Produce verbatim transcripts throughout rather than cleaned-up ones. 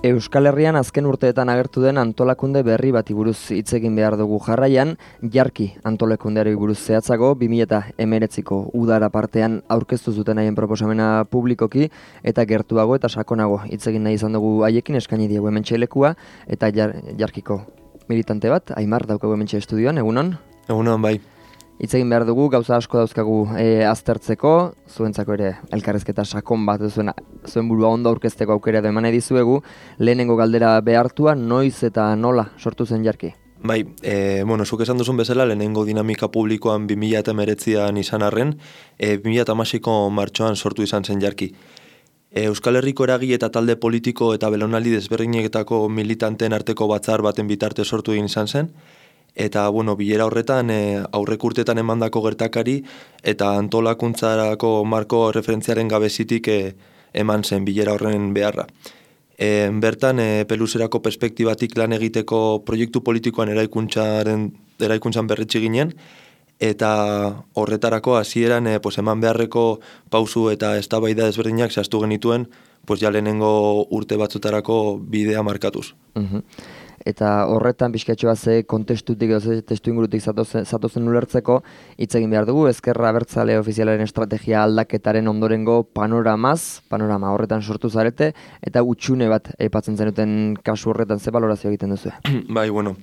Euskal Herrian azken urteetan agertu den antolakunde berri bati buruz hitz egin behar dugu jarraian, Jarki antolakundeari buruz zehatzago, bi mila hemeretziko udara partean aurkeztu zuten haien proposamena publikoki, eta gertuago eta sakonago hitz egin nahi izan dugu haiekin, eskaini diegu hementxe lekua, eta jar, Jarkiko militante bat, Aimar daukagu hementxe estudioan, egunon? Egunon, bai. Hitz egin behar dugu, gauza asko dauzkagu e, aztertzeko, zuentzako ere elkarrezketa sakon bat zuen, zuen burua ondo aurkezteko aukera edo eman dizuegu, lehenengo galdera behartua, noiz eta nola sortu zen Jarki? Bai, e, bueno, zuk esan duzun bezala, lehenengo dinamika publikoan bi mila hemeretzian izan arren, e, bi mila hamaseiko martxoan sortu izan zen Jarki. E, Euskal Herriko eragile eta talde politiko eta belaunaldi desberdinetako militanteen arteko batzar baten bitarte sortu egin izan zen, eta, bueno, bilera horretan e, aurrek urtetan emandako gertakari eta antolakuntzarako marko referentziaren gabezitik e, eman zen bilera horren beharra. E, bertan, e, peluserako perspektibatik lan egiteko proiektu politikoan eraikuntzaren, eraikuntzan berretsi ginen, eta horretarako hasieran e, pues, eman beharreko pausu eta eztabaida ezberdinak zehaztu genituen, pues, ja lehenengo urte batzutarako bidea markatuz. Uh-huh. Eta horretan pixkatxoa ze kontestutik edo ze testu ingurutik zatozen, zatozen ulertzeko hitz egin behar dugu, Ezkerra Abertzale ofizialaren estrategia aldaketaren ondorengo panoramaz, panorama horretan sortu zarete, eta utxune bat aipatzen zenuten kasu horretan ze balorazio egiten duzu? Bai, bueno,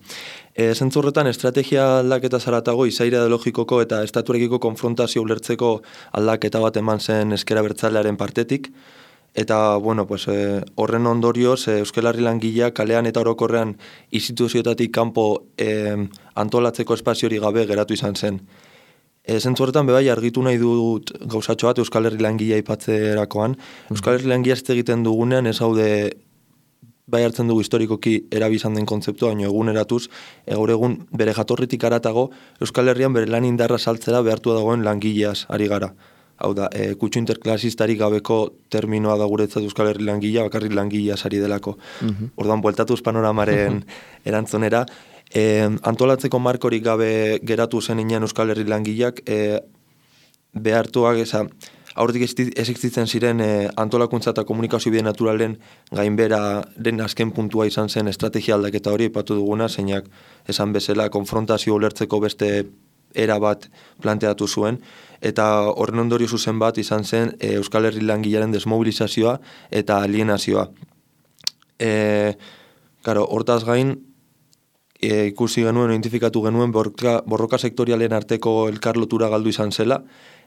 e, zentzu horretan estrategia aldaketa zaratago izaira ideologikoko eta estatuarekiko konfrontazio ulertzeko aldaketa bat eman zen Ezkerra Abertzalearen partetik. Eta, bueno, pues, eh, horren ondorioz, eh, Euskal Herri langileak kalean eta orokorrean instituzioetatik kanpo eh, antolatzeko espaziori gabe geratu izan zen. E, zentzu horretan, bebai, argitu nahi dut gauzatxo bat Euskal Herri langilea aipatzerakoan. Mm-hmm. Euskal Herri langilea ez egiten dugunean, ez haude bai hartzen dugu historikoki erabizan den kontzeptua, baina eguneratuz, e, gaur egun bere jatorritik aratago, Euskal Herrian bere lan indarra saltzera behartua dagoen langileaz ari gara. Hau da, e, kutsu interklasistarik gabeko terminoa da guretzat Euskal Herri langilea, bakarrik langilea sari delako. Uh-huh. Orduan, bueltatuz panoramaren erantzunera, e, antolatzeko markorik gabe geratu zen inean Euskal Herri langileak, e, behartuak, eza, aurretik ez existitzen ziren e, antolakuntza eta komunikazio bide naturalen gainbera den azken puntua izan zen estrategia aldaketa hori, ipatu duguna, zeinak esan bezala konfrontazio ulertzeko beste era bat planteatu zuen, eta horren ondorio zuzen bat izan zen e, Euskal Herri langilearen desmobilizazioa eta alienazioa. E, claro, hortaz gain, e, ikusi genuen, identifikatu genuen borroka, borroka sektorialen arteko elkarlotura galdu izan zela,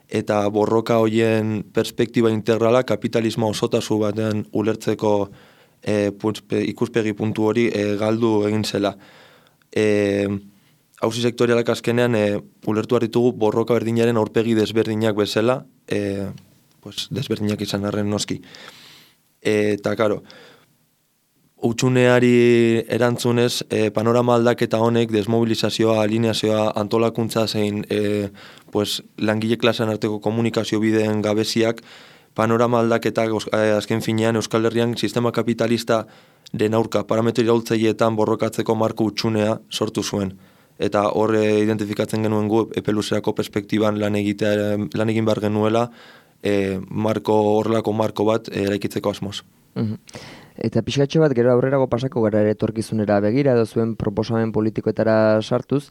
eta borroka hoien perspektiba integrala kapitalismo osotasu baten ulertzeko e, putzpe, ikuspegi puntu hori e, galdu egin zela. E, Hauzi sektorialak azkenean e, ulertu ditugu borroka berdinaren aurpegi desberdinak bezala, e, pues, desberdinak izan arren noski. E, eta, karo, utxuneari erantzunez, e, panorama aldaketa honek, desmobilizazioa, alineazioa, antolakuntza zein e, pues, langile klasean arteko komunikazio bideen gabeziak, panorama aldaketa azken finean Euskal Herrian sistema kapitalista den aurka parametro iraultzaileetan borrokatzeko marko utxunea sortu zuen. Eta hor identifikatzen genuen gu epeluserako perspektiban lan, egitea, lan egin behar genuela e, marko, horrelako marko bat e, eraikitzeko asmoz. Uh-huh. Eta pixkatxo bat gero aurrerago pasako gara ere etorkizunera begira edo zuen proposamen politikoetara sartuz,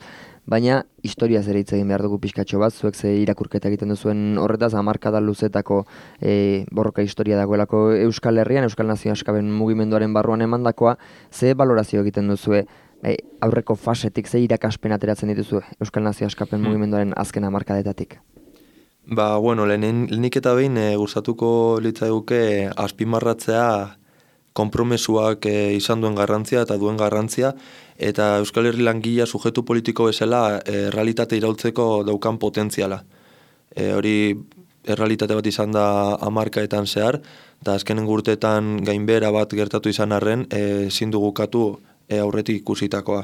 baina historiaz ere hitz egin behar dugu pixkatxo bat, zuek ze irakurketa egiten duzuen horretaz, hamarkada luzetako e, borroka historia dagoelako Euskal Herrian, Euskal Nazio Askapen mugimenduaren barruan emandakoa, ze balorazio egiten duzue e, aurreko fasetik, ze irakaspen ateratzen dituzu Euskal Nazio Askapen hmm. mugimenduaren azken hamarkadetatik? Ba, bueno, lehenik eta behin e, gustatuko litzaiguke azpimarratzea konpromesuak e, izan duen garrantzia eta duen garrantzia, eta Euskal Herri langilea sujetu politiko bezala e, realitate iraultzeko daukan potentziala. E, hori errealitate bat izan da hamarkaetan zehar, eta azkenen urteetan gainbehera bat gertatu izan arren, e, ezin dugu katu e, aurretik ikusitakoa.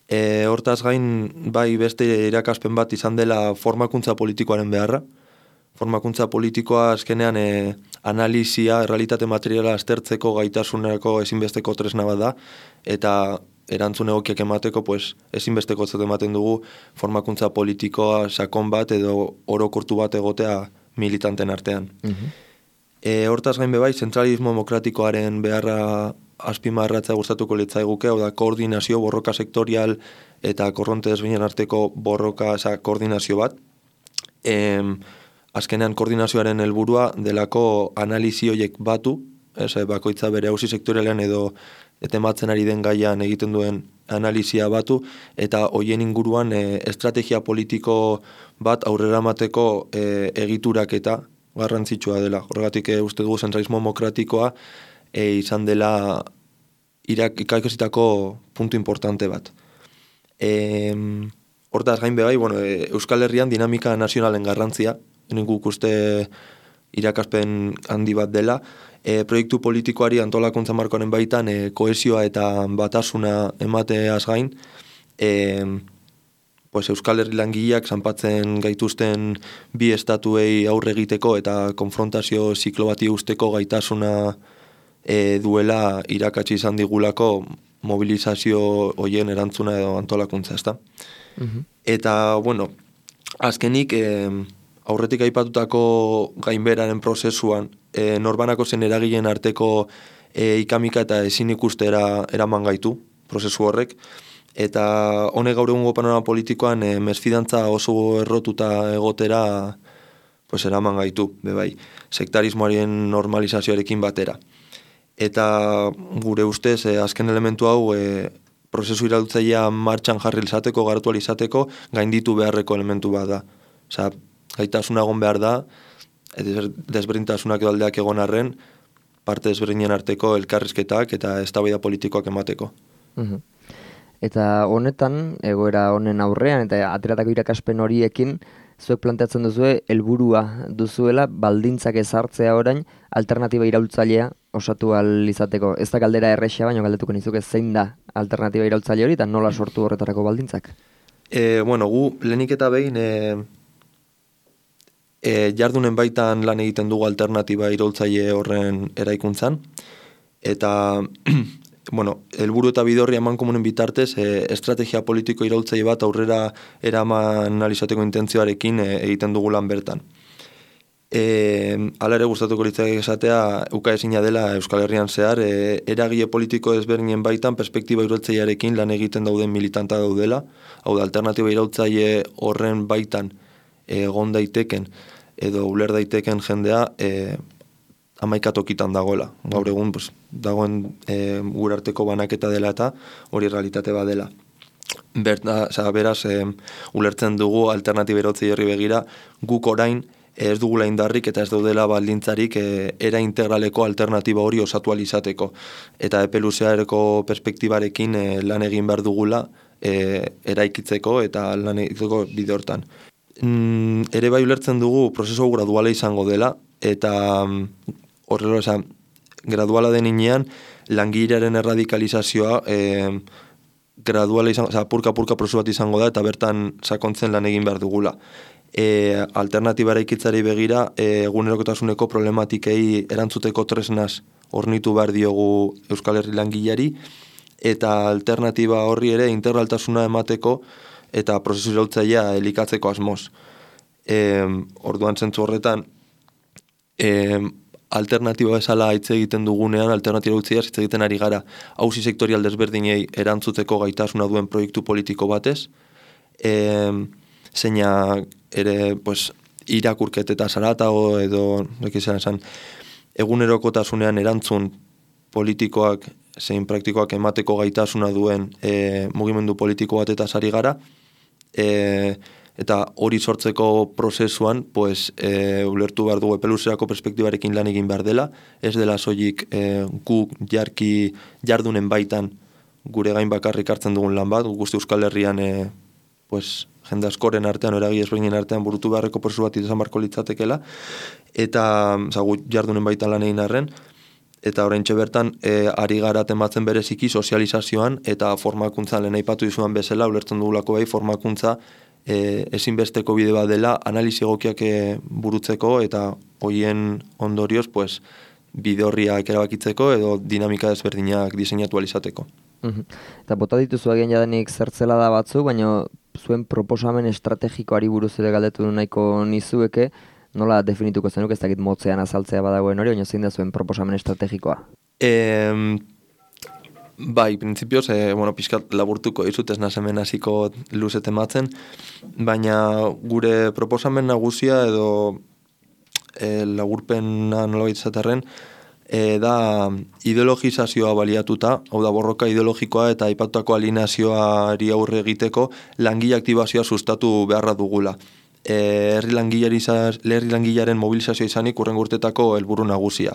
E, hortaz gain, bai beste irakaspen bat izan dela formakuntza politikoaren beharra. Formakuntza politikoa azkenean e, analizia, errealitate materiala aztertzeko gaitasunerako ezinbesteko tresna bat da, eta erantzun egokiak emateko pues, ezinbesteko zet ematen dugu formakuntza politikoa sakon bat edo orokortu bat egotea militanten artean. Uh-huh. E, hortaz gain bebai, zentralismo demokratikoaren beharra azpimarratzea gustatuko litzaiguke, hau da koordinazio, borroka sektorial eta korronte desberdinen arteko borroka, oza, koordinazio bat. E, azkenean koordinazioaren helburua delako analizi horiek batu, ez, bakoitza bere auzi sektorialean edo etematzen ari den gaian egiten duen analizia batu, eta hoien inguruan e, estrategia politiko bat aurrera mateko e, egiturak eta garrantzitsua dela. Horregatik e, uste dugu zentralismo demokratikoa e, izan dela ikaikasitako puntu importante bat. E, hortaz gain bebai, bueno, e, Euskal Herrian dinamika nazionalen garrantzia, nik uste irakaspen handi bat dela, e, proiektu politikoari antolakuntza markoaren baitan e, kohesioa eta batasuna emateaz gain, e, pues Euskal Herri langileak zanpatzen gaituzten bi estatuei aurre egiteko eta konfrontazio ziklo bati usteko gaitasuna e, duela irakatsi izan digulako mobilizazio hoien erantzuna edo antolakuntza, ezta? Uh-huh. Eta, bueno, azkenik, e, aurretik aipatutako gainberaren prozesuan, e, norbanako zen eragileen arteko e, ikamika eta ezin ikustera eraman gaitu, prozesu horrek, eta honek gaur egungo panorama politikoan e, mesfidantza oso errotuta egotera pues, eraman gaitu, bebai, sektarismoaren normalizazioarekin batera. Eta gure ustez, e, azken elementu hau, e, prozesu iraultzailea martxan jarri izateko, garatu izateko, gainditu beharreko elementu bat da. Osea, gaitasuna egon behar da, desberdintasunak edo aldeak egon arren, parte desberdinen arteko elkarrizketak eta eztabaida politikoak emateko. Uh-huh. Eta honetan, egoera honen aurrean, eta ateratako irakaspen horiekin, zuek planteatzen duzue, helburua duzuela, baldintzak ezartzea orain, alternatiba iraultzailea osatu ahal izateko. Ez da galdera errexea, baina galdetuko nizuke zein da alternatiba iraultzaile hori, eta nola sortu horretarako baldintzak? E, bueno, gu lehenik eta behin, e, e, jardunen baitan lan egiten dugu alternatiba iraultzaile horren eraikuntzan, eta bueno, helburu eta bidorri eman komunen bitartez, e, estrategia politiko iraultzaile bat aurrera eraman analizateko intentzioarekin e, egiten dugu lan bertan. E, ala ere gustatuko litzak esatea, ukaezina dela Euskal Herrian zehar, e, eragile politiko ezberdinen baitan perspektiba iraultzailearekin lan egiten dauden militanta daudela, hau da, alternatiba iraultzaile horren baitan egon daiteken edo uler daiteken jendea e, amaikatokitan dagoela. Gaur egun pues, dagoen e, gure arteko banaketa dela eta hori realitate bat dela. Berta, oza, beraz, e, ulertzen dugu alternatiba iraultzaile horri begira, guk orain ez dugula indarrik eta ez daudela baldintzarik e, era integraleko alternatiba hori osatu alizateko. Eta epe luzeareko perspektibarekin e, lan egin behar dugula e, eraikitzeko eta lan egiteko bide hortan. Mm, ere bai ulertzen dugu prozesu graduala izango dela eta horrela, esan, graduala deninean langilearen erradikalizazioa e, graduala izango, oza, purka-purka prozesu bat izango da eta bertan sakontzen lan egin behar dugula. E, alternatiba eraikitzari begira e, egunerokotasuneko problematikei erantzuteko tresnaz hornitu behar diogu Euskal Herri langileari eta alternatiba horri ere integraltasuna emateko eta prozesu iraultzailea elikatzeko asmoz. E, orduan zentzu horretan e, alternatiba bezala hitz egiten dugunean alternatiba iraultzaileaz hitz egiten ari gara auzi sektorial desberdinei erantzuteko gaitasuna duen proiektu politiko batez, e, zeina ere pues, irakurket eta zaratago edo ekizan esan, egunerokotasunean erantzun politikoak zein praktikoak emateko gaitasuna duen e, mugimendu politiko bat eta sari gara, e, eta hori sortzeko prozesuan pues, e, ulertu behar dugu epeluzerako perspektibarekin lan egin behar dela, ez dela soilik e, guk jarki jardunen baitan gure gain bakarrik hartzen dugun lan bat, guzti Euskal Herrian e, pues, jende askoren artean, eragi ezberdinen artean burutu beharreko prozesu bat izan barko litzatekela, eta zagu jardunen baitan lan egin arren, eta oraintxe bertan e, ari gara tematzen bereziki sozializazioan eta formakuntzan lehen aipatu dizuan bezala, ulertzen dugulako bai formakuntza e, ezinbesteko bide bat dela analizi egokiak e, burutzeko eta hoien ondorioz pues, bide horriak erabakitzeko edo dinamika ezberdinak diseinatu alizateko. Uh-huh. Eta bota dituzu agian jadenik zertzela da batzu, baina zuen proposamen estrategikoari buruz ere galdetu nahiko nizueke, nola definituko zenuk, ez dakit motzean azaltzea badagoen hori, baina zein da zuen proposamen estrategikoa? E, Bai, printzipioz, e, bueno, pixkat laburtuko izut ez nazemen hasiko luze tematzen, baina gure proposamen nagusia edo e, laburpena nolabait zaterren, e, da ideologizazioa baliatuta, hau da borroka ideologikoa eta aipatutako alineazioari aurre egiteko langile aktibazioa sustatu beharra dugula. E, herri langilaren mobilizazioa izanik urrengo urtetako helburu nagusia.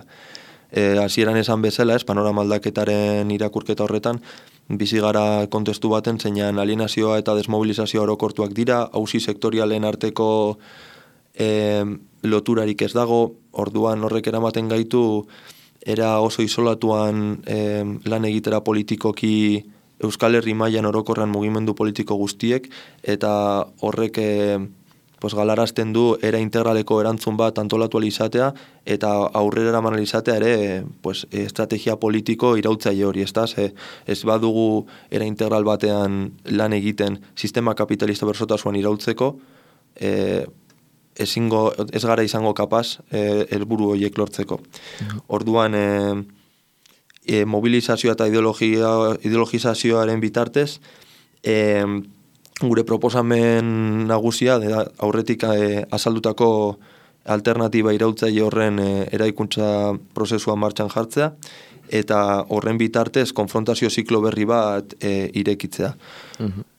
E, hasieran esan bezala, ez, panorama aldaketaren irakurketa horretan, bizi gara kontestu baten, zeinan alienazioa eta desmobilizazioa orokortuak dira, auzi sektorialen arteko e, loturarik ez dago, orduan horrek eramaten gaitu, era oso isolatuan e, lan egitera politikoki Euskal Herri mailan orokorran mugimendu politiko guztiek, eta horrek e, pues galarazten du era integraleko erantzun bat antolatu alizatea eta aurrera eraman alizatea ere pues, estrategia politiko irautzaile hori, ez da? Ez badugu era integral batean lan egiten sistema kapitalista bersotasuan irautzeko, e, ezingo, ez gara izango kapaz e, helburu horiek lortzeko. Orduan, e, e, mobilizazioa eta ideologia, ideologizazioaren bitartez, e, gure proposamen nagusia da aurretik e, azaldutako alternatiba irautzaile horren e, eraikuntza prozesua martxan jartzea eta horren bitartez konfrontazio ziklo berri bat e, irekitzea. Mhm.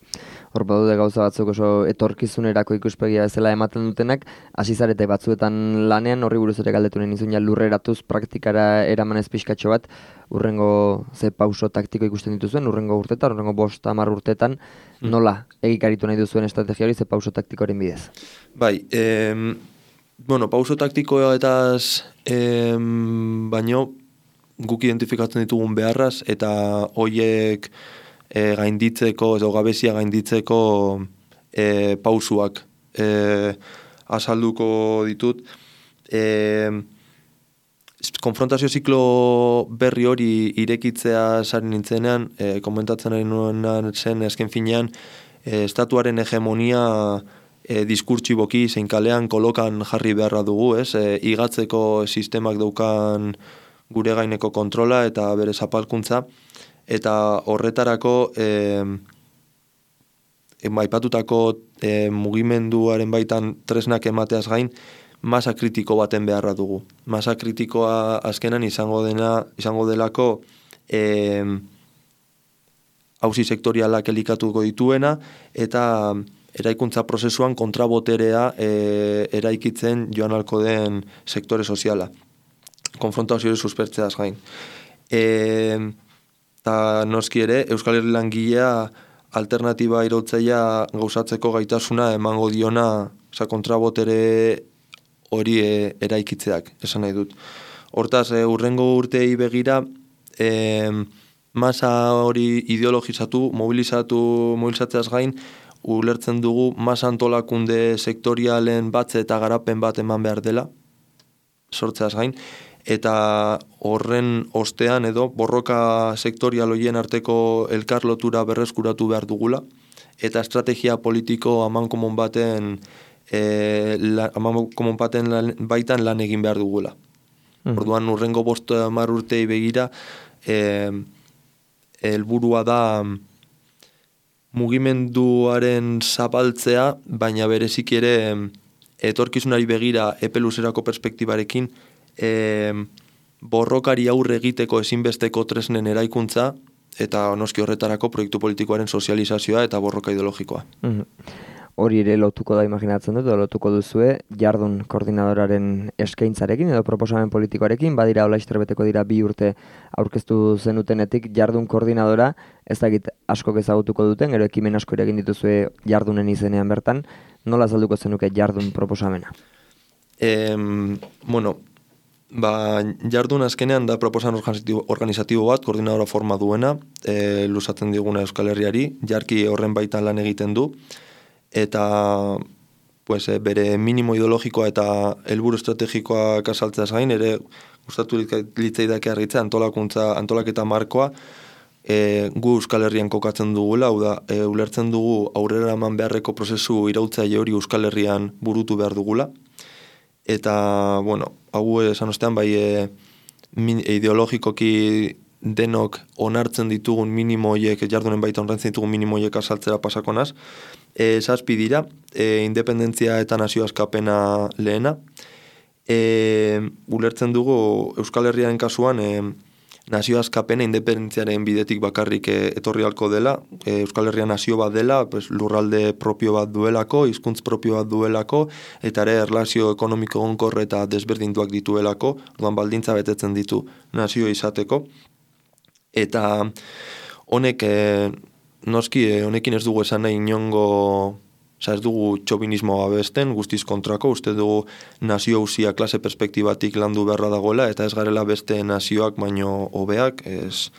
Hor badude gauza batzuk oso etorkizunerako ikuspegia bezala ematen dutenak, hasi zarete batzuetan lanean, horri buruz ere galdetu nahi nizun ja lurreratuz praktikara eramanez pixkatxo bat, urrengo ze pauso taktiko ikusten dituzuen, urrengo urtetan, urrengo bost hamar urtetan, nola egikaritu nahi duzuen estrategia hori ze pauso taktikoaren bidez? Bai, em, bueno, pauso taktikoa eta em, baino guk identifikatzen ditugun beharraz eta hoiek E, gainditzeko, edo gabezia gainditzeko e, pausuak e, azalduko ditut. E, konfrontazio ziklo berri hori irekitzea zaren nintzenean, e, komentatzen ari nuen zen esken finean, e, estatuaren hegemonia e, diskurtsiboki zein kalean kolokan jarri beharra dugu, ez? E, igatzeko sistemak daukan gure gaineko kontrola eta bere zapalkuntza, eta horretarako e, aipatutako e, mugimenduaren baitan tresnak emateaz gain masa kritiko baten beharra dugu. Masa kritikoa azkenan izango dena izango delako e, auzi sektorialak elikatuko dituena eta eraikuntza prozesuan kontraboterea e, eraikitzen joan alko den sektore soziala. Konfrontazioa suspertzeaz gain. E, Eta noski ere, Euskal Herri langilea alternatiba irautzailea gauzatzeko gaitasuna emango diona, oza, kontrabotere hori e, eraikitzeak, esan nahi dut. Hortaz, e, urrengo urtei begira, e, masa hori ideologizatu, mobilizatu, mobilizatzeaz gain, ulertzen dugu masa antolakunde sektorialen batze eta garapen bat eman behar dela, sortzeaz gain, eta horren ostean edo borroka sektorial hoien arteko elkarlotura berreskuratu behar dugula, eta estrategia politiko amankomon baten, e, la, amankomon baten lan, baitan lan egin behar dugula. Mm. Orduan urrengo bost hamar urtei begira, e, helburua da mugimenduaren zapaltzea, baina berezik ere etorkizunari begira epe luzerako perspektibarekin, E, borrokari aurre egiteko ezinbesteko tresnen eraikuntza eta noski horretarako proiektu politikoaren sozializazioa eta borroka ideologikoa. Mm-hmm. Hori ere lotuko da imaginatzen dut, lotuko duzue jardun koordinadoraren eskaintzarekin edo proposamen politikoarekin, badira hola beteko dira bi urte aurkeztu zenutenetik jardun koordinadora, ez dakit asko ezagutuko duten, gero ekimen asko ere egin dituzue jardunen izenean bertan, nola azalduko zenuke jardun proposamena? E, bueno, Ba, jardun azkenean da proposan organizatibo bat, koordinadora forma duena, e, luzatzen diguna Euskal Herriari, jarki horren baitan lan egiten du, eta pues, e, bere minimo ideologikoa eta helburu estrategikoak azaltzeaz gain, ere gustatu litzaidake argitzea antolakuntza, antolaketa markoa, e, gu Euskal Herrian kokatzen dugula, hau da, e, ulertzen dugu aurrera eman beharreko prozesu irautzaile hori Euskal Herrian burutu behar dugula, eta, bueno, hau esan ostean, bai, e, min, ideologikoki denok onartzen ditugun minimoiek, jardunen baita onartzen ditugun minimoiek azaltzera pasakonaz. E, zazpi dira, e, independentzia eta nazio askapena lehena. E, ulertzen dugu Euskal Herriaren kasuan e, nazio askapena independentziaren bidetik bakarrik e, etorri halko dela. E, Euskal Herria nazio bat dela, pues, lurralde propio bat duelako, hizkuntz propio bat duelako, eta ere erlazio ekonomiko egonkor eta desberdinduak dituelako, orduan baldintza betetzen ditu nazio izateko. Eta honek, e, noski, e, honekin ez dugu esan nahi inongo, oza, ez dugu txobinismoa besten, guztiz kontrako, uste dugu nazio hausia klase perspektibatik landu beharra dagoela, eta ez garela beste nazioak baino hobeak, ez,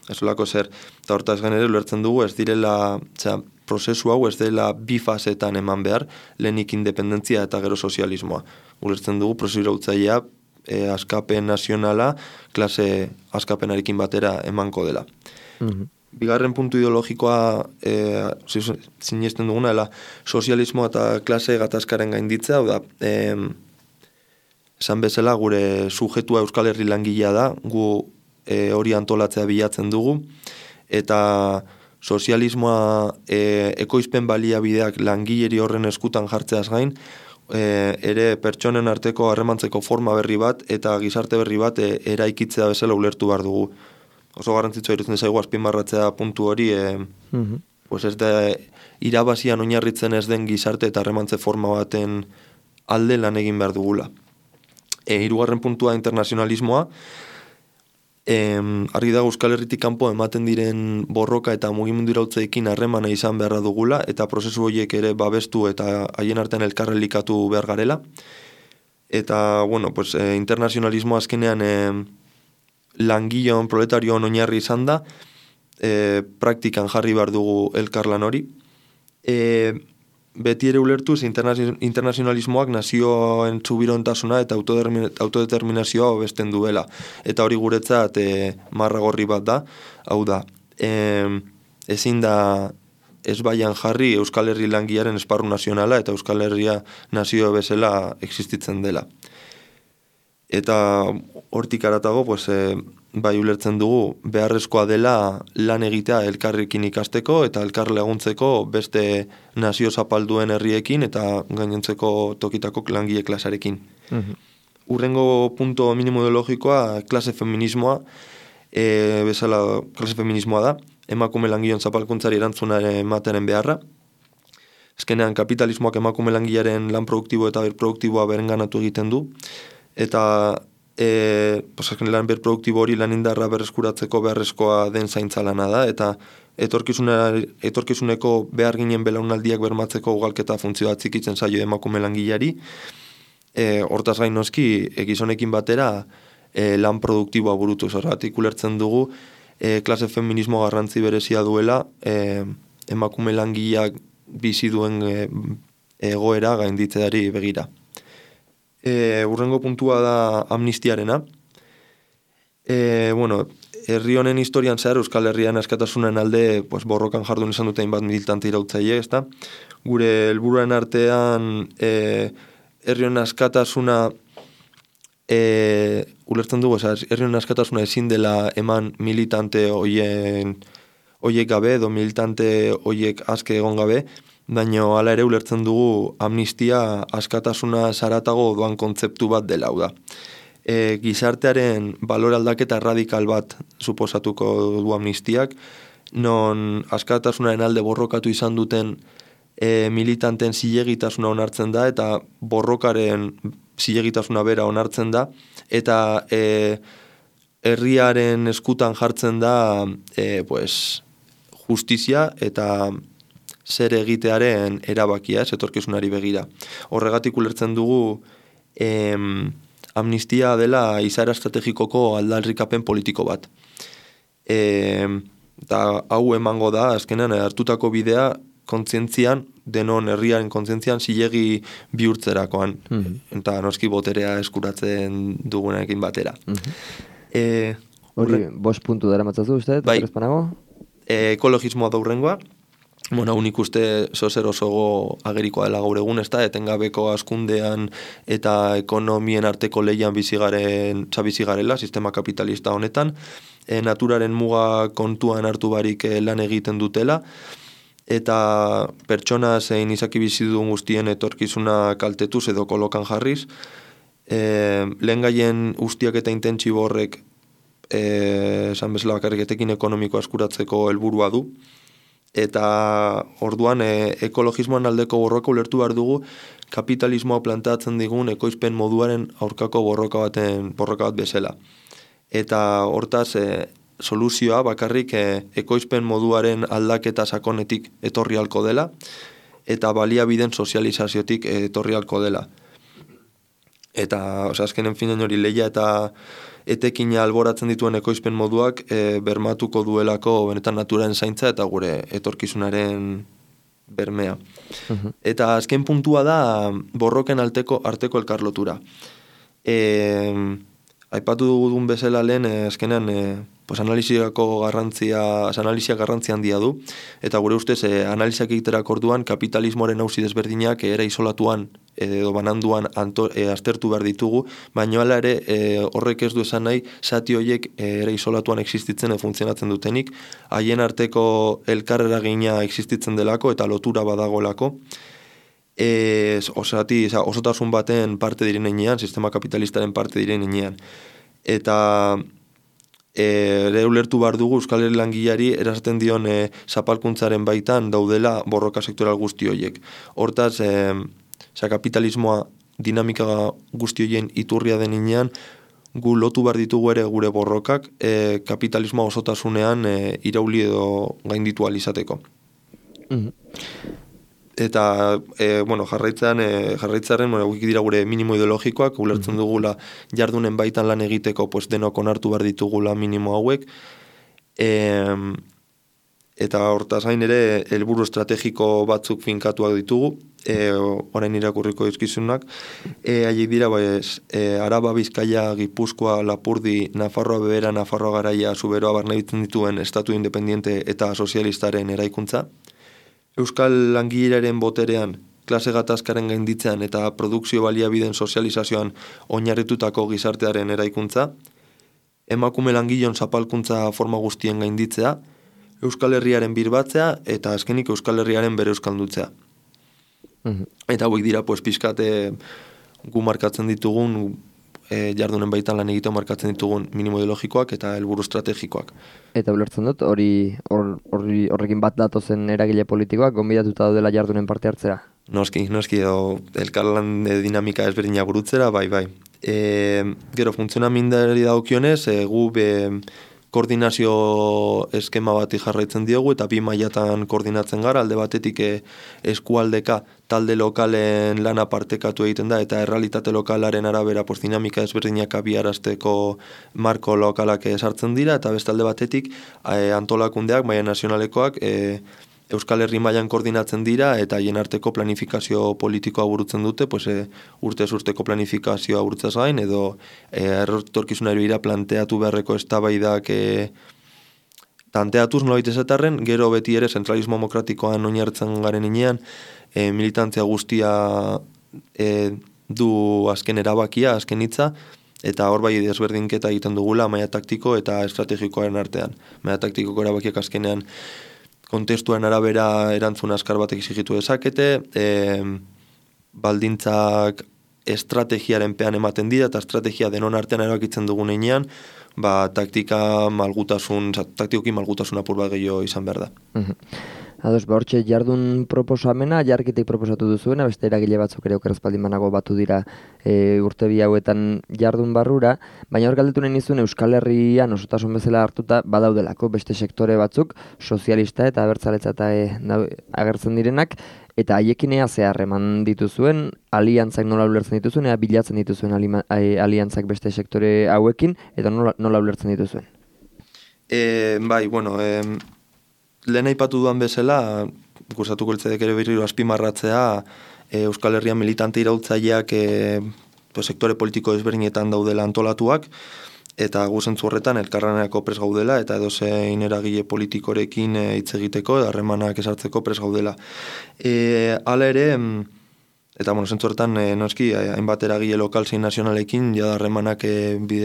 ez olako zer. Eta hortaz genere, ulertzen dugu, ez direla, oza, prozesu hau ez dela bi fasetan eman behar, lehenik independentzia eta gero sozialismoa. Ulertzen dugu, prozesu irautzailea, e, askapen nazionala, klase askapenarekin batera emanko dela. Mm-hmm. Bigarren puntu ideologikoa e, sinesten duguna, dela sozialismo eta klase gatazkaren gainditzea, hau da, e, esan bezala gure sujetua Euskal Herri langilea da, gu e, hori antolatzea bilatzen dugu, eta sozialismoa e, ekoizpen baliabideak langileri horren eskutan jartzeaz gain, e, ere pertsonen arteko harremantzeko forma berri bat eta gizarte berri bat e, eraikitzea bezala ulertu behar dugu. Oso garrantzitsua irutzen zaigu azpimarratzea puntu hori, e, mm-hmm. pues ez da irabazian oinarritzen ez den gizarte eta harremantze forma baten alde lan egin behar dugula. E, hirugarren puntua internazionalismoa, e, argi dago Euskal Herritik kanpo ematen diren borroka eta mugimendu irautzeekin harremana izan beharra dugula, eta prozesu horiek ere babestu eta haien artean elkarrelikatu behar garela. Eta, bueno, pues, e, internazionalismoa azkenean e, langileon, proletarion oinarri izan da, e, praktikan jarri behar dugu elkarlan hori. E, beti ere ulertuz internazionalismoak nazioen txubirontasuna eta autodeterminazioa hobesten duela. Eta hori guretzat e, marragorri bat da, hau da, e, ezin da ez baian jarri Euskal Herri langilearen esparru nazionala eta Euskal Herria nazio bezala existitzen dela. Eta hortik aratago, pues, e, bai ulertzen dugu beharrezkoa dela lan egitea elkarrekin ikasteko eta elkar laguntzeko beste nazio zapalduen herriekin eta gainontzeko tokitako langile klasarekin. Mm-hmm. Urrengo punto minimo ideologikoa klase feminismoa, e, bezala klase feminismoa da, emakume langileon zapalkuntzari erantzuna ematearen beharra. Azkenean kapitalismoak emakume langilearen lan produktibo eta berproduktiboa berenganatu egiten du, eta e, lan berproduktibo hori lan indarra berreskuratzeko beharrezkoa den zaintza lana da, eta etorkizuneko behar ginen belaunaldiak bermatzeko ugalketa funtzioa txikitzen zaio emakume langileari. E, hortaz gain noski, gizonekin batera e, lan produktiboa burutu. Horregatik ulertzen dugu, e, klase feminismo garrantzi berezia duela, e, emakume langileak bizi duen e, egoera gainditzeari begira. E, urrengo puntua da amnistiarena. E, bueno, herri honen historian zehar Euskal Herrian askatasunen alde pues, borrokan jardun izan dute hainbat militante irautzaile, ezta? Gure helburuen artean e, herri honen askatasuna e, ulertzen dugu, herri honen askatasuna ezin dela eman militante hoien hoiek gabe, edo militante hoiek aske egon gabe, baina hala ere ulertzen dugu amnistia askatasuna zaratago doan kontzeptu bat dela, hau da. E, gizartearen balore aldaketa radikal bat suposatuko du amnistiak, non askatasunaren alde borrokatu izan duten e, militanten zilegitasuna onartzen da, eta borrokaren zilegitasuna bera onartzen da, eta e, herriaren eskutan jartzen da e, pues, justizia eta zer egitearen erabakia, ez etorkizunari begira. Horregatik ulertzen dugu em, amnistia dela izaera estrategikoko aldarrikapen politiko bat. E, eta hau emango da, azkenean hartutako bidea kontzientzian, denon herriaren kontzientzian zilegi bihurtzerakoan. Mm-hmm. Eta noski boterea eskuratzen dugunekin batera. Mm-hmm. E, Hori, bost puntu dara matzazu, uste? Bai, e, ekologismoa da hurrengoa. Bueno, unik uste zozer osogo agerikoa dela gaur egun, ez da, etengabeko askundean eta ekonomien arteko lehian bizigaren, bizigarela, sistema kapitalista honetan, e, naturaren muga kontuan hartu barik e, lan egiten dutela, eta pertsona zein izaki bizi duen guztien etorkizuna kaltetuz edo kolokan jarriz, e, lehen gaien ustiak eta intentsibo horrek e, esan bezala bakarrik etekin ekonomiko askuratzeko helburua du, eta orduan e, ekologismoan aldeko borroka ulertu behar dugu kapitalismoa planteatzen digun ekoizpen moduaren aurkako borroka baten borroka bat bezala. Eta hortaz e, soluzioa bakarrik e, ekoizpen moduaren aldaketa sakonetik etorri halko dela eta baliabideen sozializaziotik etorri halko dela. Eta, osea, azkenen finean hori lehia eta etekina alboratzen dituen ekoizpen moduak e, bermatuko duelako benetan naturaren zaintza eta gure etorkizunaren bermea. Uh-huh. Eta azken puntua da borroken alteko arteko elkarlotura. E, aipatu dugun bezala lehen, e, azkenean e, pues analiziako garrantzia, analizia garrantzia handia du, eta gure ustez e, analiziak egiterak orduan kapitalismoaren auzi desberdinak era isolatuan edo bananduan anto, e, aztertu behar ditugu, baina hala ere e, horrek ez du esan nahi zati horiek e, era isolatuan existitzen e, funtzionatzen dutenik, haien arteko elkarreragina existitzen delako eta lotura badagoelako, e, osati, osotasun baten parte direnean, sistema kapitalistaren parte direnean. Eta ere ulertu behar dugu Euskal Herri langileari erasaten dion e, zapalkuntzaren baitan daudela borroka sektoral guzti horiek. Hortaz, e, Osa, kapitalismoa dinamika guzti horien iturria deninean, gu lotu behar ditugu ere gure borrokak e, kapitalismoa osotasunean e, irauli edo gainditu alizateko. Mm-hmm. Eta, e, bueno, jarraitzaren, e, jarraitzaren, bueno, guik dira gure minimo ideologikoak, ulertzen dugula jardunen baitan lan egiteko, pues denok onartu behar ditugula minimo hauek, e, eta hortaz gain ere helburu estrategiko batzuk finkatuak ditugu, e, orain irakurriko dizkizunak, e, haiek dira, pues, e, Araba, Bizkaia, Gipuzkoa, Lapurdi, Nafarroa Bebera, Nafarroa Garaia, Zuberoa barnebitzen dituen estatu independiente eta sozialistaren eraikuntza, Euskal langileren boterean, klase gatazkaren gainditzean eta produkzio baliabideen sozializazioan oinarritutako gizartearen eraikuntza, emakume langileon zapalkuntza forma guztien gainditzea, Euskal Herriaren birbatzea eta azkenik Euskal Herriaren bere euskaldutzea. Mm-hmm. Eta hauek dira, pues, pizkate gu markatzen ditugun e, jardunen baitan lan egiten markatzen ditugun minimo ideologikoak eta helburu estrategikoak. Eta ulertzen dut, hori or, or, horrekin bat datozen eragile politikoak gonbidatuta daudela jardunen parte hartzera? Noski, noski, edo elkarlan dinamika ezberdina burutzera, bai, bai. E, gero, funtzionamindari daukionez, e, gu be, koordinazio eskema bati jarraitzen diogu eta bi mailatan koordinatzen gara, alde batetik e, eskualdeka talde lokalen lana partekatu egiten da eta errealitate lokalaren arabera pues, dinamika ezberdinak abiarazteko marko lokalak sartzen dira eta beste alde batetik e, antolakundeak, maila nazionalekoak e, Euskal Herri mailan koordinatzen dira eta haien arteko planifikazio politikoa burutzen dute, pues, e, urtez urteko planifikazioa burutzaz gain, edo e, errotorkizunari bira planteatu beharreko eztabaidak e, planteatuz nolabait esatarren, gero beti ere zentralismo demokratikoan oinartzen garen inean, e, militantzia guztia e, du azken erabakia, azken hitza, eta hor bai desberdinketa egiten dugula maila taktiko eta estrategikoaren artean. Maila taktikoko erabakiak azkenean kontestuaren arabera erantzun askar batek exigitu dezakete, e, baldintzak estrategiaren pean ematen dira, eta estrategia denon artean erabakitzen dugun einean, ba, taktika malgutasun, taktikoki malgutasun apur bat gehiago izan behar da. Mm-hmm. Ados, ba, hortxe jardun proposamena, jarkitek proposatu duzuena, beste eragile batzuk ere okerazpaldin banago batu dira e, urte bi hauetan jardun barrura, baina hor galdetu nahi nizun Euskal Herrian osotasun bezala hartuta badaudelako beste sektore batzuk, sozialista eta abertzaletza eta e, agertzen direnak, eta haiekin ea zehar eman dituzuen, aliantzak nola ulertzen dituzuen, ea bilatzen dituzuen alima, e, aliantzak beste sektore hauekin, eta nola, nola ulertzen dituzuen? E, bai, bueno, e, lehen aipatu duan bezala, gustatuko litzaidak ere berriro azpimarratzea, e, Euskal Herrian militante iraultzaileak e, sektore politiko ezberdinetan daudela antolatuak, eta gu zentzu horretan elkarlanerako pres gaudela, eta edozein eragile politikorekin hitz egiteko, harremanak esartzeko pres gaudela. E, hala ere, eta bueno, zentzu horretan e, noski, hainbat eragile lokal zein nazionalekin jada harremanak e,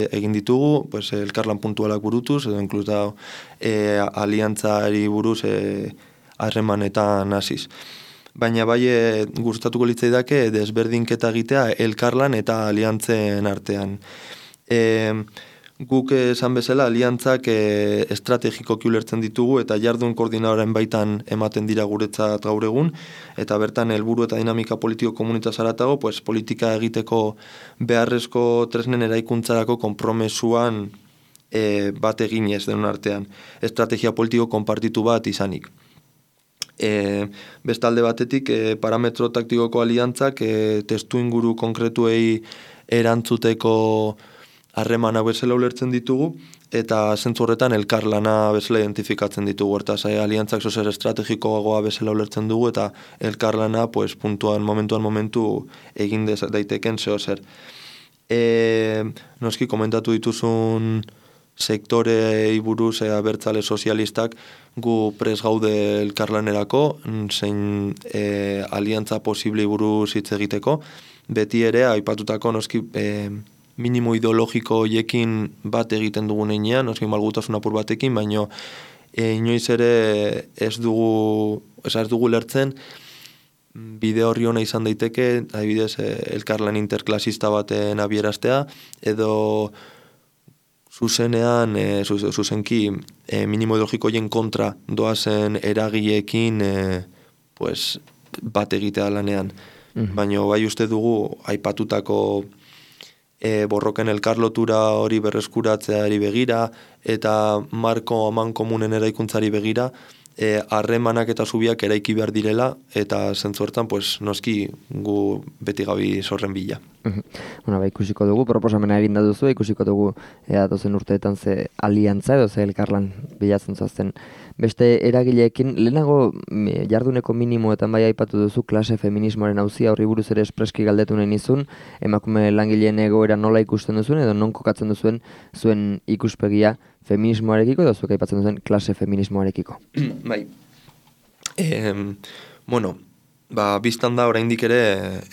egin ditugu, pues, elkarlan puntualak burutuz, edo inkluz da e, aliantzari buruz e, harremanetan hasiz. Baina bai e, gustatuko litzaidake desberdinketa egitea elkarlan eta aliantzen artean. E, Guk esan bezala, aliantzak e, estrategikoki ulertzen ditugu eta jardun koordinadoren baitan ematen dira guretzat gaur egun, eta bertan helburu eta dinamika politiko komunitaz haratago, pues, politika egiteko beharrezko tresnen eraikuntzarako konpromesuan e, bat eginez denon artean, estrategia politiko konpartitu bat izanik. E, bestalde batetik, e, parametro taktikoko aliantzak e, testu inguru konkretuei erantzuteko harremana bezala ulertzen ditugu, eta zentzu horretan elkarlana bezala identifikatzen ditugu. Hortaz, aliantzak zozer estrategikoagoa bezala ulertzen dugu, eta elkarlana pues, puntuan, momentuan momentu egin daiteken zeo zer. E, noski, komentatu dituzun sektorei buruz e, abertzale sozialistak gu pres gaude elkarlanerako, zein e, aliantza posiblei buruz hitz egiteko, beti ere, aipatutako noski e, minimo ideologiko hoiekin bat egiten dugun einean, noski malgutasun apur batekin, baino e, inoiz ere ez dugu, ez, ez dugu lertzen bide horri hona izan daiteke, adibidez e, elkarlan interklasista baten abieraztea, edo zuzenean, e, zuzenki e, minimo ideologiko hoien kontra doazen eragileekin e, pues, bat egitea lanean. Mm-hmm. Baina bai uste dugu aipatutako E, borroken elkarlotura hori berreskuratzeari begira eta marko aman komunen eraikuntzari begira harremanak e, eta zubiak eraiki behar direla eta zentzu hortan pues, noski gu beti gabi zorren bila. Bueno, ba, ikusiko dugu, proposamena egin da duzu, ikusiko dugu ea dozen urteetan ze aliantza edo ze elkarlan bilatzen zoazten. Beste eragileekin, lehenago jarduneko minimoetan bai aipatu duzu klase feminismoaren auzia horri buruz ere espreski galdetu nahi nizun, emakume langileen egoera nola ikusten duzuen edo non kokatzen duzuen zuen ikuspegia feminismoarekiko edo zuek aipatzen duzuen klase feminismoarekiko. Bai. E, bueno, ba, biztan da oraindik ere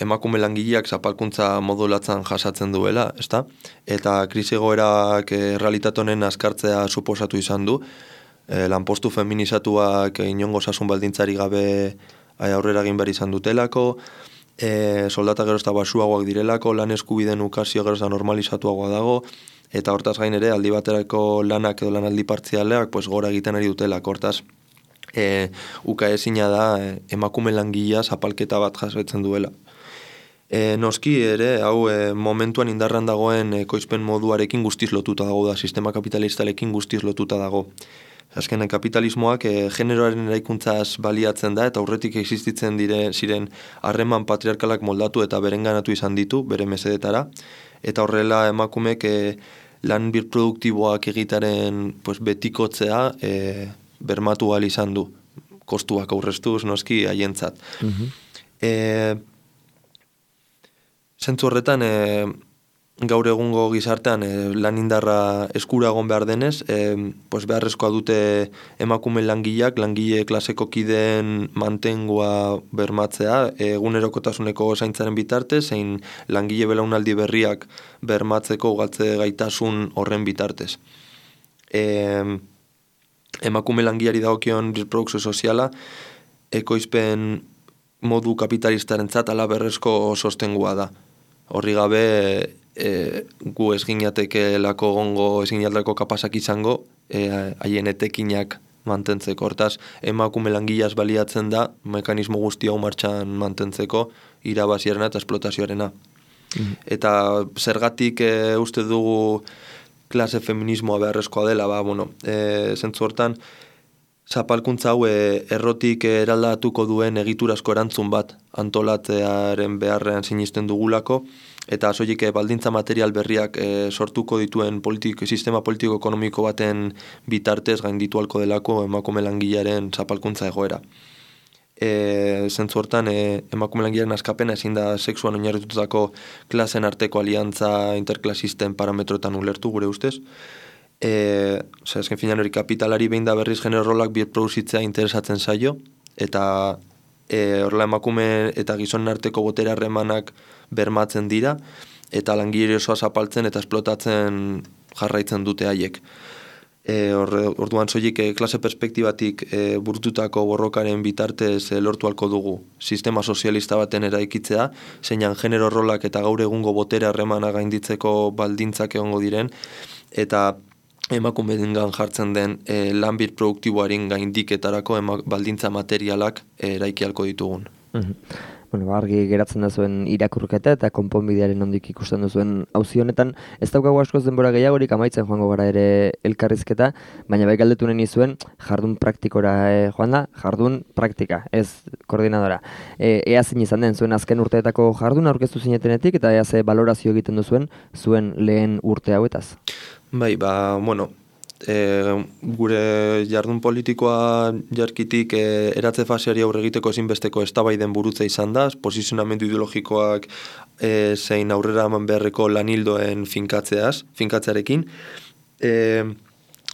emakume langileak zapalkuntza modulatzen jasatzen duela, ezta? Eta krisi egoerak e, realitate honen azkartzea suposatu izan du. E, lanpostu feminizatuak inongo osasun baldintzari gabe aurrera egin behar izan dutelako, e, soldata gero eta basuagoak direlako, lan eskubideen ukazio gero eta normalizatuagoa dago, eta hortaz gain ere aldi baterako lanak edo lanaldi partzialeak pues, gora egiten ari dutelako. Hortaz, e, uka ezina da e, emakume langilea zapalketa bat jasotzen duela. E, noski ere, hau e, momentuan indarran dagoen ekoizpen moduarekin guztiz lotuta dago da, sistema kapitalistalekin guztiz lotuta dago. Azkenen kapitalismoak e, generoaren eraikuntzaz baliatzen da eta aurretik existitzen dire, ziren harreman patriarkalak moldatu eta berenganatu izan ditu, bere mesedetara. Eta horrela emakumek e, lan birproduktiboak egitaren pues, betikotzea e, bermatu ahal izan du. Kostuak aurreztuz, noski, haientzat. Mm-hmm. E, zentzu horretan, e, gaur egungo gizartean e, lan indarra eskura egon behar denez, e, pues beharrezkoa dute emakume langileak, langile klaseko kideen mantengoa bermatzea, egunerokotasuneko zaintzaren bitarte, zein langile belaunaldi berriak bermatzeko galtze gaitasun horren bitartez. E, emakume langileari dagokion reprodukzio soziala, ekoizpen modu kapitalistarentzat ala berrezko sostengua da. Horri gabe, E, gu ez ginateke lako gongo, ez ginateko kapasak izango haien e, etekinak mantentzeko. Hortaz, emakume langileaz baliatzen da mekanismo guzti hau martxan mantentzeko irabaziarena eta esplotazioarena. Mm. Eta zergatik e, uste dugu klase feminismoa beharrezkoa dela, ba, bueno, e, zentzu hortan, zapalkuntza hau e, errotik eraldatuko duen egiturazko erantzun bat antolatzearen beharrean sinisten dugulako, eta soilik baldintza material berriak e, sortuko dituen politik, sistema politiko-ekonomiko baten bitartez gainditu halko delako emakume langilearen zapalkuntza egoera. E, zentzu hortan, e, emakume langilearen askapena ezin da sexuan oinarritutako klasen arteko aliantza interklasisten parametroetan ulertu gure ustez. E, Ose, azken finan hori kapitalari behin da berriz genero rolak birproduzitzea interesatzen zaio, eta e, horrela emakume eta gizonen arteko botere harremanak bermatzen dira, eta langile osoa zapaltzen eta esplotatzen jarraitzen dute haiek. E, orduan soilik e, klase perspektibatik e, burututako borrokaren bitartez e, lortu halko dugu sistema sozialista baten eraikitzea, zeinan genero rolak eta gaur egungo botere harremana gainditzeko baldintzak egongo diren, eta emakumeengan jartzen den e, lanbir produktiboaren gaindiketarako ema, baldintza materialak e, eraiki halko ditugun. Mhm. Bueno, argi geratzen da zuen irakurketa eta konponbidearen ondik ikusten duzuen auzi honetan. Ez daukagu askoz denbora gehiagorik, amaitzen joango gara ere elkarrizketa, baina bai galdetu nahi nizuen jardun praktikora e, joan da, jardun praktika, ez koordinadora. E, ea zein izan den zuen azken urteetako jardun aurkeztu zinetenetik eta ea ze balorazio egiten duzuen zuen lehen urte hauetaz. Bai, ba, bueno, E, gure jardun politikoa jarkitik e, eratze faseari aurre egiteko ezinbesteko eztabaiden burutza izan da, posizionamendu ideologikoak e, zein aurrera eman beharreko lanildoen finkatzeaz, finkatzearekin. E,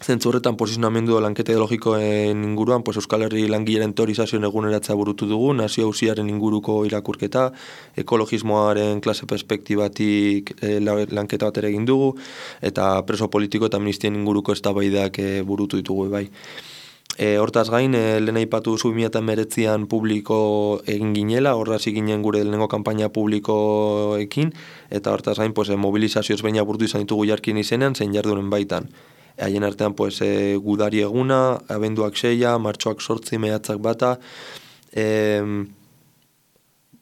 Zentzu horretan posizionamendu lanketa ideologikoen inguruan, pues Euskal Herri langileren teorizazioen eguneratzea burutu dugu, nazio auziaren inguruko irakurketa, ekologismoaren klase perspektibatik e, lanketa bat ere egin dugu, eta preso politiko eta amnistien inguruko eztabaidak e, burutu ditugu bai. E, hortaz gain, e, lehen aipatu duzu bi mila hemeretzian publiko egin ginela, horra hasi ginen gure lehenengo kanpaina publikoekin, eta hortaz gain, pues, e, mobilizazioz baina burutu izan ditugu jarkin izenean, zein jardunen baitan. Haien artean pues, e, gudari eguna, abenduak seia, martxoak sortzi, mehatzak bata. E,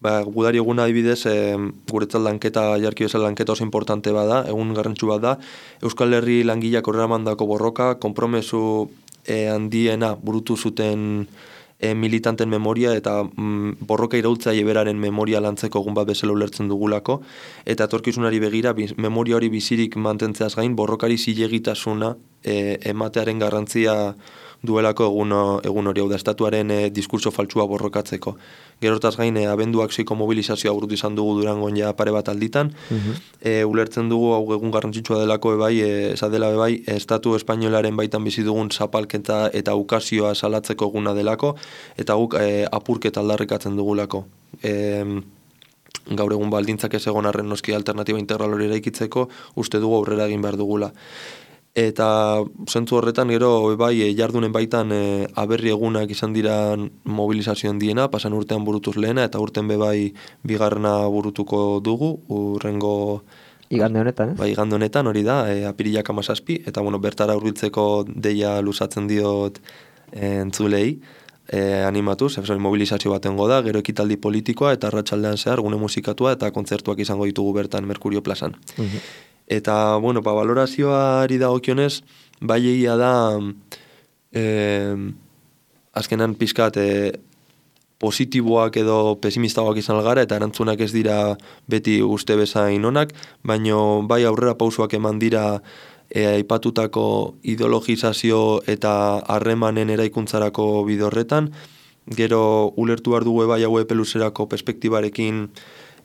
ba, gudari eguna adibidez, e, guretzat lanketa, jarki bezala lanketa oso importante bada, egun garrantzu bat da. Euskal Herri langileak horrela mandako borroka, konpromesu e, handiena burutu zuten e, militanten memoria eta mm, borroka iraultzaile beraren memoria lantzeko egun bat bezala ulertzen dugulako, eta etorkizunari begira biz, memoria hori bizirik mantentzeaz gain borrokari zilegitasuna e, ematearen garrantzia duelako egun, egun hori, hau da estatuaren e, diskurso faltsua borrokatzeko. Gero hortaz gain, e, abenduak seiko mobilizazioa burutu izan dugu Durangon ja pare bat alditan, uh-huh. e, ulertzen dugu hau egun garrantzitsua delako ebai, e, esadela ebai, estatu espainolaren baitan bizi dugun zapalketa eta ukazioa salatzeko eguna delako, eta guk e, apurketa aldarrikatzen dugulako. E, gaur egun baldintzak ez egon arren noski alternatiba integral hori eraikitzeko, uste dugu aurrera egin behar dugula. Eta zentzu horretan gero bai jardunen baitan e, aberri egunak izan dira mobilizazioen diena, pasan urtean burutuz lehena, eta urten be bai bigarrena burutuko dugu, urrengo... Igande honetan, ez? Bai, igande honetan hori da, e, apirilak hamazazpi, eta bueno, bertara hurbiltzeko deia luzatzen diot e, entzulei, e, animatuz, e, mobilizazio batengo da, gero ekitaldi politikoa, eta arratsaldean zehar, gune musikatua, eta kontzertuak izango ditugu bertan Merkurio plazan. Uh-huh. Eta, bueno, ba, valorazioari dagokionez, bai egia da, eh, azkenan pizkat eh, positiboak edo pesimistagoak izan algara, eta erantzunak ez dira beti uste bezain onak, baino bai aurrera pausoak eman dira e, aipatutako ideologizazio eta harremanen eraikuntzarako bidorretan, gero ulertu behar dugu bai hau epeluzerako perspektibarekin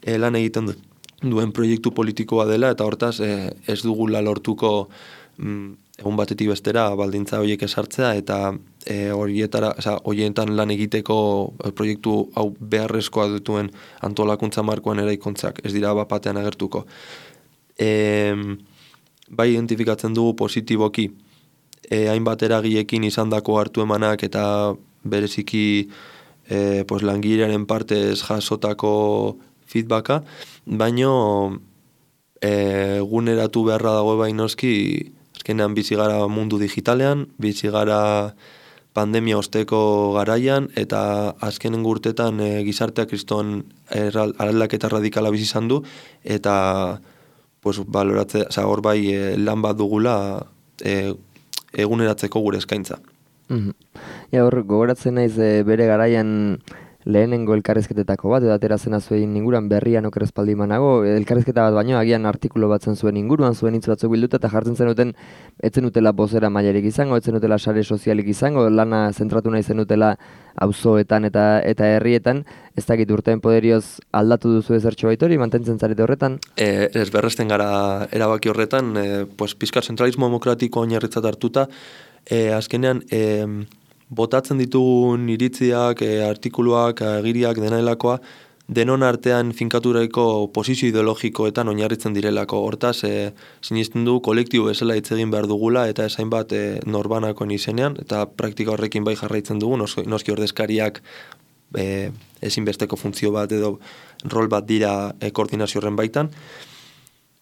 e, lan egiten du. duen proiektu politikoa dela, eta hortaz eh, ez dugula lortuko mm, egun batetik bestera baldintza horiek esartzea, eta eh, horietara, oza, horietan lan egiteko eh, proiektu hau beharrezkoa dutuen antolakuntza markoan eraikuntzak, ez dira bapatean agertuko. E, bai identifikatzen dugu positiboki, e, hainbat eragiekin izandako hartu emanak, eta bereziki e, pues, langilearen partez jasotako feedbacka, baino eguneratu e, beharra dago bainoski, azkenean bizi gara mundu digitalean, bizi gara pandemia osteko garaian, eta azkenen urtetan e, gizartea kriston aldaketa radikala bizi izan du, eta pues, baloratze, oza, hor bai e, lan bat dugula e, eguneratzeko gure eskaintza. Mm-hmm. Ja, hor gogoratzen naiz e, bere garaian lehenengo elkarrizketetako bat, edo atera zena zuen inguruan berrian oker espaldi manago, elkarrizketa bat baino, agian artikulu bat zen zuen inguruan, zuen hitz batzuk bilduta, eta jartzen zenuten, etzen utela bozera mailerik izango, etzen utela sare sozialik izango, lana zentratu nahi zenutela auzoetan eta eta herrietan, ez dakit urteen poderioz aldatu duzu ezertxo baitori, mantentzen zarete horretan? E, ez berresten gara erabaki horretan, e, pues, pizkar zentralismo demokratiko oinarritzat hartuta, e, azkenean, e, botatzen ditugun iritziak, e, artikuluak, agiriak, denailakoa, denon artean finkaturaiko posizio ideologikoetan oinarritzen direlako. Hortaz, e, sinisten du kolektibo bezala hitz egin behar dugula, eta esain bat e, norbanakoen izenean, eta praktika horrekin bai jarraitzen dugu, noski ordezkariak e, ezinbesteko funtzio bat edo rol bat dira e, koordinazio horren baitan,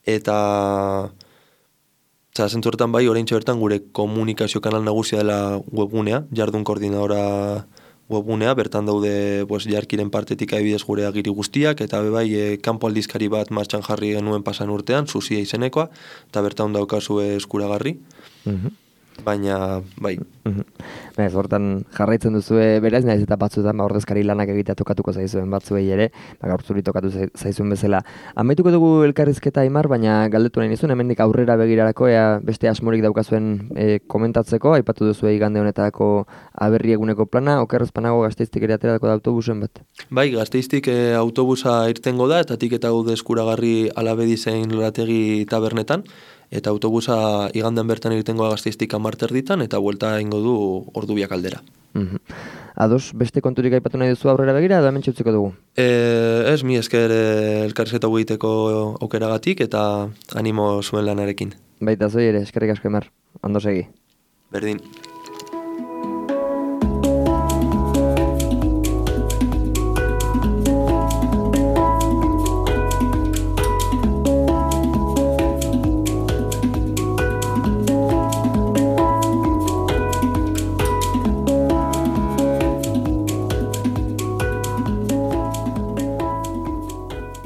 eta Eta zentzu horretan bai, oraintxe bertan gure komunikazio kanal nagusia dela webgunea, jardun koordinadora webgunea, bertan daude pues, jarkiren partetik adibidez gure agiri guztiak, eta be bai, e, kanpo aldizkari bat martxan jarri genuen pasan urtean, Zuzia izenekoa, eta bertan daukazu eskuragarri. Mm-hmm. Baina, bai. Mm-hmm. Ez, hortan jarraitzen duzue beraz, naiz eta batzuetan ba, ordezkari lanak egitea tokatuko zaizuen batzuei ere, ba, gaur zuri tokatu zaizuen bezala. Amaituko dugu elkarrizketa Aimar, baina galdetu nahi nizun, hemendik aurrera begirarako, ea beste asmorik daukazuen e, komentatzeko, aipatu duzu igande honetako aberri eguneko plana, okerrezpanago Gasteiztik ere aterako da autobusen bat? Bai, Gasteiztik e, autobusa irtengo da, eta tik eta gaude eskuragarri Alabedi zein Lorategi tabernetan, eta autobusa igandean bertan irtengoa Gasteiztik amarter ditan, eta buelta ingo du ordu biak aldera. Mm-hmm. Ados, beste konturik aipatu nahi duzu aurrera begira, edo hemen txutzeko dugu? E, ez, mi esker elkarrizketa egiteko aukeragatik, eta animo zuen lanarekin. Baita zoi ere, eskerrik asko Aimar, ondo segi. Berdin.